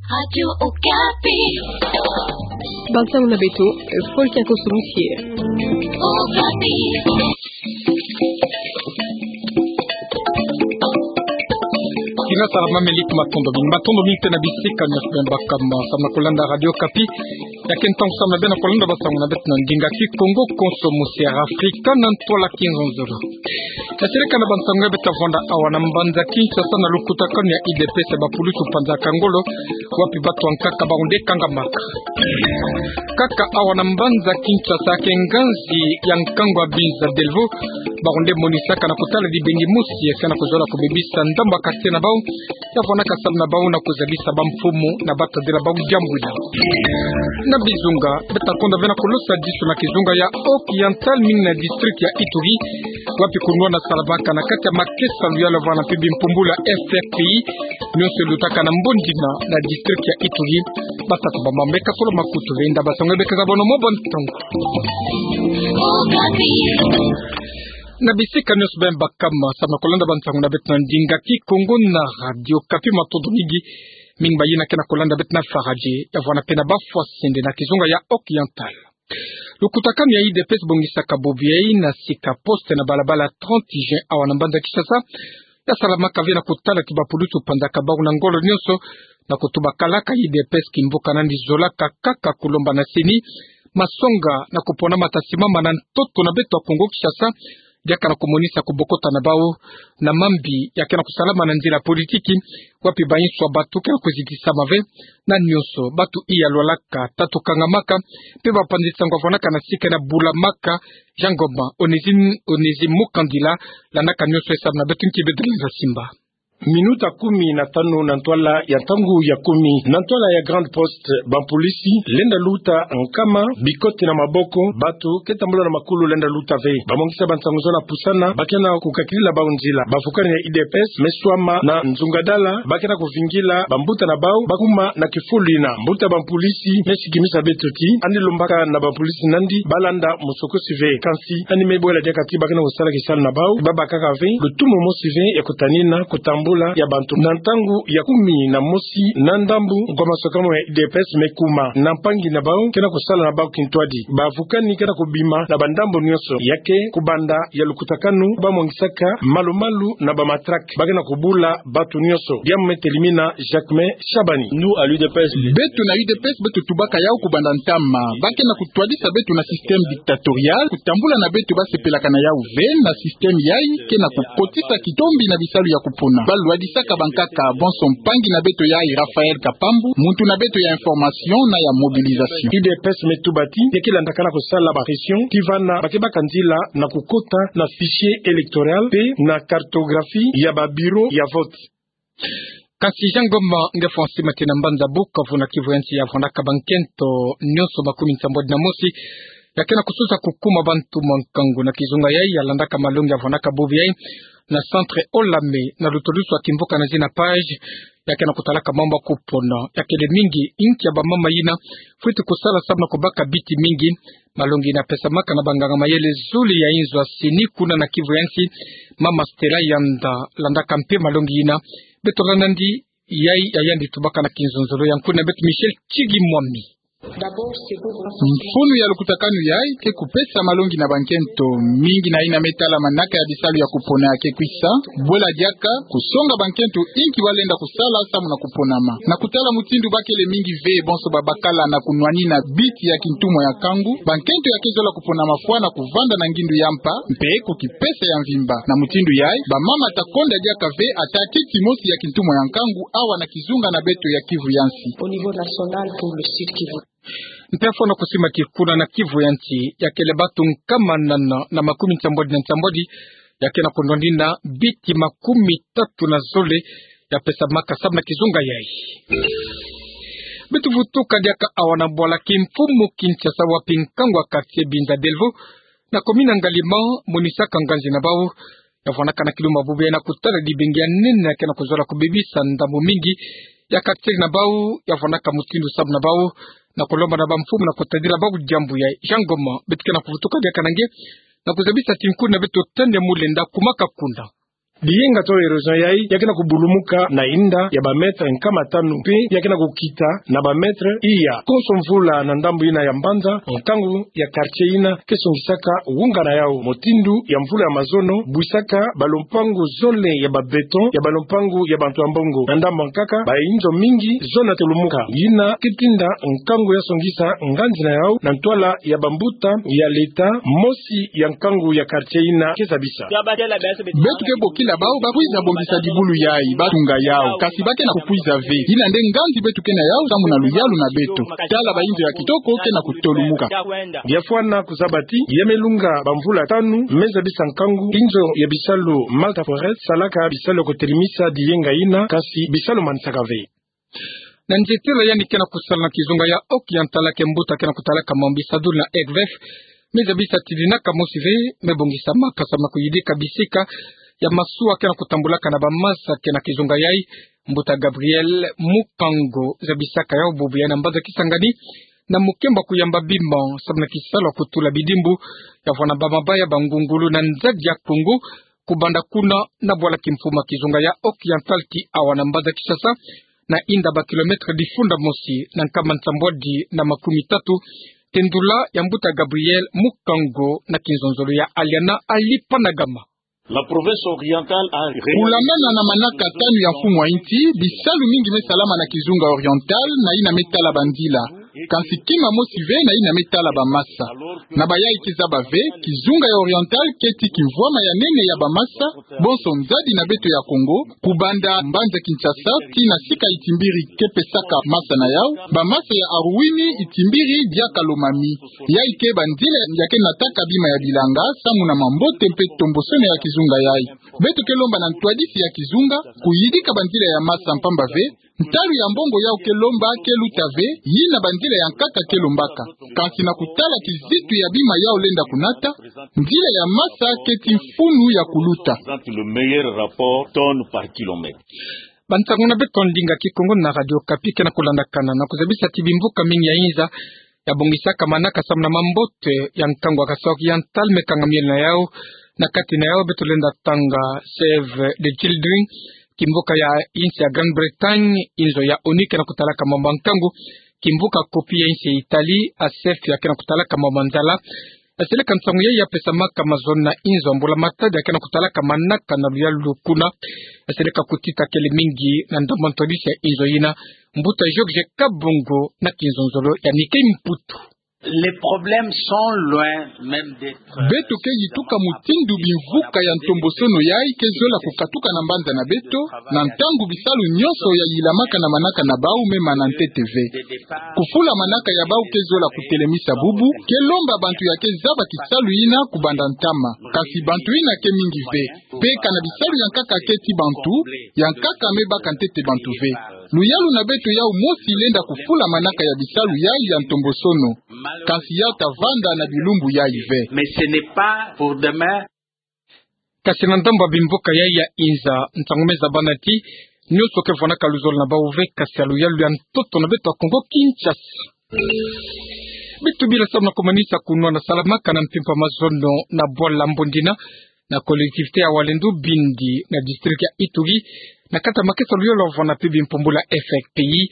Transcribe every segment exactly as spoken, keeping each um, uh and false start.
Radio Okapi. Bansango na beto, Paul Kiakoso Musie. Okapi. Kina salamameli, matondo mingi, matondo mingi tena bisika nyonso beno baka ma, samu na kolanda Radio Okapi. Ya ke ntangu samu na beno kolanda bansango na beto na ndinga Kikongo, konso musi ya Afrika na ntwala Kinzonzolo. Tasereka na bansango ya beto vwanda awa na mbanza Kinshasa na lukutakanu ya U D P S ya bapulusu panzaka ngolo, wapi batu ya nkaka bawu nde kangamaka. Kaka awa na mbanza Kinshasa, ya ke nganzi ya nkangu ya Binza Delvaux, bawu nde monisaka na kotala dibengi mosi ya ke na kuzola kubebisa ndambu ya quartier na bawu, ya vwanaka samu na bawu na kuzabisa bamfumu na batadila bawu diambu ina. Na bizunga, beto ta konda ve na kulosa disu na kizunga ya Haut-Oriental, mingi na district ya Ituri, wapi kunwana salamaka na kati ya makesa luyala vwala mpe bimpumbulu ya F R P I, nyonso lutaka na mbongi na, na district ya Ituri. Batatu ba mama meka solo makutu ve nda bansango ya beka za bono mo bon ntangu. Na bisika nyonso beno baka ma, samu na kolanda bansango na beto na ndinga Kikongo na Radio Okapi, matondo mingi. Mingi mayina ke na kolanda beto na Faradje, ya vwanda mpe na Bafwasende na kizunga ya Haut-Oriental. Lukutakanu ya U D P S bongisaka bobo yayi na sika poste na balabala trente juin awa na mbanza Kinshasa, ya salamaka ve na kotala ti bapulusu panzaka bawu na ngolo nyonso, na kutuba kalaka U D P S kimvuka nani zolaka kaka kulomba na CENI masonga na kupona mata simama na ntoto na beto ya Kongo Kinshasa, diaka na kumonisa kubokota na bawu na mambi ya ke na kusalama na nzila politiki, wapi bainsu ya batu ke na kuzitisama ve, na nyonso batu iya lwalaka, tatu kangamaka, mpe bapanzi nsangu ya vwanaka na sika na bulamaka. Jean Ngoma, Onésime, Onésime Mukandila, landaka nyonso ya samu na beto nki beto lenda simba. Minuta kumi na tanu na ntwala ya ntangu ya kumi. Na ntwala ya Grande Poste, bampolisi lenda luta nkama, bikoti na maboko, batu ke tambula na makulu lenda luta ve. Bamongisi ya bansangu zo na pusana, ba ke na kukakilila bawu nzila. Bavukani ya U D P S me swama na nzungadala, ba ke na kuvingila bambuta na bawu bakuma na kifulu ina. Mbuta bampolisi me sikimisa beto ti, yandi lombaka na bampolisi nandi balanda musokosi ve. Kansi yandi me bwela diaka ti ba ke na kusala kisalu na bawu, babakaka ve lutumu mosi ve ya kutanina kutambula ya bantu. Na ntangu ya kumi na mosi na ndambu, nkwa masokamu ya U D P S me kuma na mpangi na bawu ke na kusala na bawu kintwadi. Bavukani ke na kubima na bandambu nyonso, ya ke kubanda ya lukutakanu, bamongisaka malu-malu na bamatraque, ba ke na kubula batu nyonso. Diambu me telimina Jacquemain Shabani. Nous, à l'U D P S, beto na U D P S, beto tubaka yawu kubanda ntama. Ba ke na kutwadisa beto na système dictatorial, kutambula na beto basepelaka na yawu ve, na système yayi ke na kukotisa kitombi na bisalu ya kupona. Balwadisaka bankaka bonso. Mpangi na beto yayi, Raphaël Kapambu, muntu na beto ya information na ya mobilisation. U D P S me tuba ti, ya ke landaka na kusala ba pression, ti vana ba ke baka nzila na kukota na fichier électoral mpe na cartographie ya ba bureau ya vote. Kasi Jean Ngoma nge François Matina mbanza Bukavu na Kivu ya Nsi, ya vwanaka bankento nyonso makumi nsambwadi na mosi ya ke na kusosa kukuma bantu mwa nkangu na kizunga yayi, ya landaka malongi ya vwanaka bobo yayi na centre Olame, na lutulusu ya kimvuka na zina page, ya ke na kutalaka mambu ya kupona. Ya kele mingi inki ya bamama yina fweti kusala samu na kubaka biti mingi. Malongi yina pesamaka na banganga mayele zole ya inzo ya CENI kuna na Kivu ya Nsi, mama Stella Yanda landaka mpe malongi yina. Beto landa nandi yayi ya yandi tubaka na kinzonzolo ya nkuna beto Michel Chigi Mwami. Mfunu ya lukutakanu yayi ke kupesa malongi na bankento mingi na yina me tala manaka ya bisalu ya kupona ya ke kwisa. Bwela diaka kusonga bankento inki ba lenda kusala samu na kuponama. Na kutala mutindu ba kele mingi ve bonso babakala na kunwanina biti ya kintumwa ya nkangu, bankento ya ke zola kuponama fwa na kuvanda na ngindu ya mpa mpe kukipesa ya mvimba. Na mutindu yayi, bamama ta konda diaka ve ata titi mosi ya kintumwa ya nkangu awa na kizunga na beto ya Kivu ya Nsi. Au niveau national pour le Sud Kivu. Mpe fwana kusima ti kuna na Kivu ya Nsi, ya kele batu nkama nana na makumi nsambwadi na nsambwadi ya ke na kunwanina biti makumi tatu na zole ya pesamaka samu na kizunga yayi. Beto vutuka diaka awa na bwala kimfumu Kinshasa, wapi nkangu ya quartier Binza Delvaux na commune Ngaliema monisaka nganzi na bawu, ya vwanaka na kilumbu ya bubu yayi na kutala dibengi ya nene ya ke na kuzola kubebisa ndambu mingi ya quartier na bawu, ya vwanaka mutindu samu na bawu na kulomba na bamfumu na kutadila bawu diambu yayi. Jean Ngoma, beto ke na kuvutuka diaka na nge na kuzabisa ti nkuna beto Tania Mulenda kumaka kuna. Biyenga to erosion yai, ya ke na kubulumuka na inda ya ba mètre nkama tanu, mpe ya ke na kukita na ba mètre iya. Konso mvula na ndambu ina ya mbanza, nkangu ya quartier ina ke songisaka wungana yau, mutindu ya mvula ya mazono, bwisaka ba lumpangu zole ya ba béton, ya ba lumpangu ya bantu ya mbongo. Na ndambu nkaka, ba inzo mingi zona tolumuka. Ina ke tinda nkangu ya songisa nganzi na yau, na ntwala ya bambuta ya leta, mosi ya nkangu ya quartier ina ke zabisa. Beto ke bokila bau ba kwiza bongisa dibulu yai, ba tunga yau, kasi ba ke na kukwiza ve. Ina nde nganzi beto ke na yau, samu na luyalu na beto. Tala ba inzo ya kitoko ke na kutolumuka. Bia fwana kuzaba ti, ya me lunga bamvula tanu, me zabisa nkangu, inzo ya bisalu Malta Forest salaka bisalu ya kutelemisa biyenga ina, kasi bisalu manisaka ve. Na nzietelo yandi ke na kusala na kizunga ya Occidental, ke mbuta ke na kutalaka mambu bisadulu na F V F, me zabisa ti dinaka mosi ve me bongisama, samu na kuyidika bisika ya masuwa ke na kutambulaka na bamasa ke na kizunga yai. Mbuta Gabriel Mukango zabisaka yau bubu yai na mbanza Kisangani, na mukembo kuyamba bima samu na kisalu ya kutula bidimbu ya vwanda bamabaya, bangungulu na nzadi ya Kongo, kubanda kuna na bwala kimfumu ya kizunga ya Occidental ti awa na mbanza Kinshasa, na inda ba kilomètre difunda mosi na nkama nsambwadi na makumi tatu. Tendula ya mbuta Gabriel Mukango na kinzonzolo ya Aliana Ali Panagama. La province orientale a ré- Kulandana na manaka tanu ya mfumu wa insi, bisalu mingi me salama na kizunga Oriental, na ina me tala banzila. Kansi kima mosi ve na ina me tala bamasa. Na bayai ke zaba ve, kizunga ya Oriental keti kimvwama ya nene ya bamasa, bonso nzadi na beto ya Kongo, kubanda mbanza Kinshasa tii na sika itimbiri ke pesaka masa na yau, bamasa ya Aruwini itimbiri diaka Lomami. Yai ke banzila ya ke nataka bima ya bilanga, samu na mambote mpe tombosono ya kizunga yai. Beto ke lomba na ntwadisi ya kizunga kuyidika banzila ya masa, mpamba ve ntalu ya mbongo yau ke lomba ke luta ve, ina banzila ya nkaka ke lombaka. Kansi na kutala kizitu ya bima yau lenda kunata, nzila ya masa keti mfunu ya kuluta. Présente le meilleur rapport tonne par kilomètre. Bansangu na beto ndinga Kikongo na Radio Okapi ke na kulandakana, na kuzabisa ti bimvuka mingi ya inza ya bongisaka manaka samu na mambote ya nkangu ya Kasai Oriental me kanga miel na yau. Na kati na yau beto lenda tanga Save the Children, kimvuka ya insi ya Grande-Bretagne, inzo ya ONU ke na kutalaka mambu ya nkangu, kimvuka COPI ya insi ya Italie, ASEF ya ke na kutalaka mambu ya nzala. Yaseleka nsangu yai ya pesamaka mazono na inzo ya mbula matadi ya ke na kutalaka manaka na luyalu kuna. Yaseleka kutita kele mingi na ndambu ya ntwadisi ya inzo ina, mbuta Georges Kabongo na kinzonzolo ya Mickey Mputu. Les problèmes sont loin même d'être... Beto ke yituka mutindu bimvuka ya ntombosono yai ke zola kukatuka na mbanza na beto, na ntangu bisalu nyonso ya yilamaka na manaka na bau me mana ntete ve. Kufula manaka ya bau ke zola kutelemisa bubu, ke lomba bantu ya ke zaba kisalu ina kubanda ntama. Kasi bantu ina ke mingi ve. Mpe kana bisalu ya nkaka keti bantu, ya nkaka me baka ntete bantu ve. Luyalu na beto yau mosi lenda kufula manaka ya bisalu yai ya ntombosono. Kansi yau ta vanda na bilumbu yai ve. Mais ce n'est pas pour demain. Kasi na ndambu ya bimvuka yai ya inza, nsangu me zabana ti nyonso ke vwanaka luzolo na bau ve, kasi ya luyalu ya ntoto na beto ya Kongo Kinshasa. Beto bila samu na kumanisa kunwa na salamaka na mpimpa mazono na bwala Mbondina, na collectivité ya Walendu Bindi, na district ya Ituri, na kati ya makesa luyalu ya vwanda mpe bimpumbulu ya F R P I,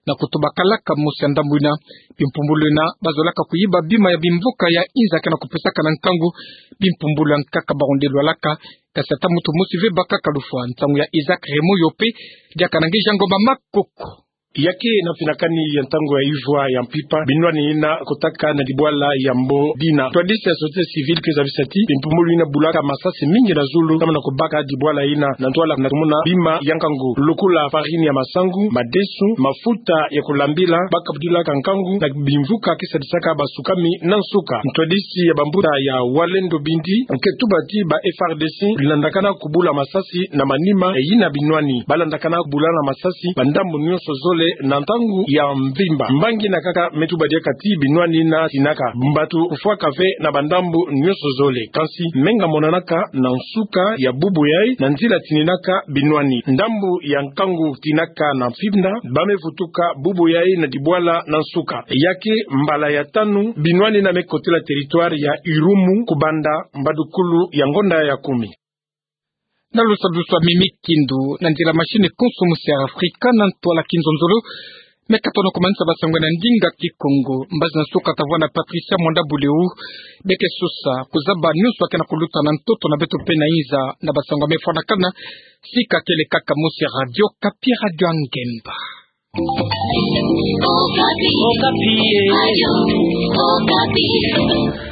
na kutubakalaka mosi ya ndambu ina. Bimpumbulu ina bazolaka kuyiba bima ya bimvuka ya inza ke na kupesaka na nkangu. Bimpumbulu ya nkaka barondelwalaka, kasi ata muntu mosi ve bakaka lufwa. Nsangu ya Isaac Raymond Yope, diaka na nge Jean Ngoma Makoko. Ya ke na mpinakani ya ntangu ya ivwa ya mpimpa, binwani ina kotaka na dibwala ya Mbondina. Ntwadisi ya société civile ke zabisa ti bimpumbulu ina bulaka masasi mingi na zulu, samu na kubaka dibwala ina, na ntwala na tumona bima ya nkangu, lokola farine ya masangu, madesu, mafuta ya kulambila, bakabudilaka nkangu na bimvuka ke sadisaka basukami na nsuka. Ntwadisi ya bambuta ya Walendu Bindi ke tuba ti ba F A R D C landakana kubula masasi na manima, e, ina binwani. Balandakana kubula na masasi bandambu nyonso zole na ntangu ya mvimba. Mbangi na nkaka me tuba diaka ti binwani ina tinaka, bantu kufwaka ve na bandambu nyonso zole. Kansi menga monanaka na nsuka ya bubu yai na nzila tininaka binwani. Ndambu ya nkangu tinaka na mfinda, ba me vutuka bubu yai na dibwala na nsuka. Ya ke mbala ya tanu binwani ina me kotila territoire ya Irumu kubanda mbadukulu ya ngonda ya kumi. Na lusadusu a mimi kindu, na nzila machine konso musi Afrika, na ntwala kinzonzolo. Me katono ko mansa ba sangwe na ndinga Kikongo, mbazi na suka tavwa na Patricia Mwanda Buleu, beke sosa, kuzaba nyonso akena kuluta na ntoto na beto pe na inza, na ba sangwe mefwanakana, sika kele kaka musi Radio Okapi, Radio Angemba. Okapi. Okapi, eh. Radio Okapi.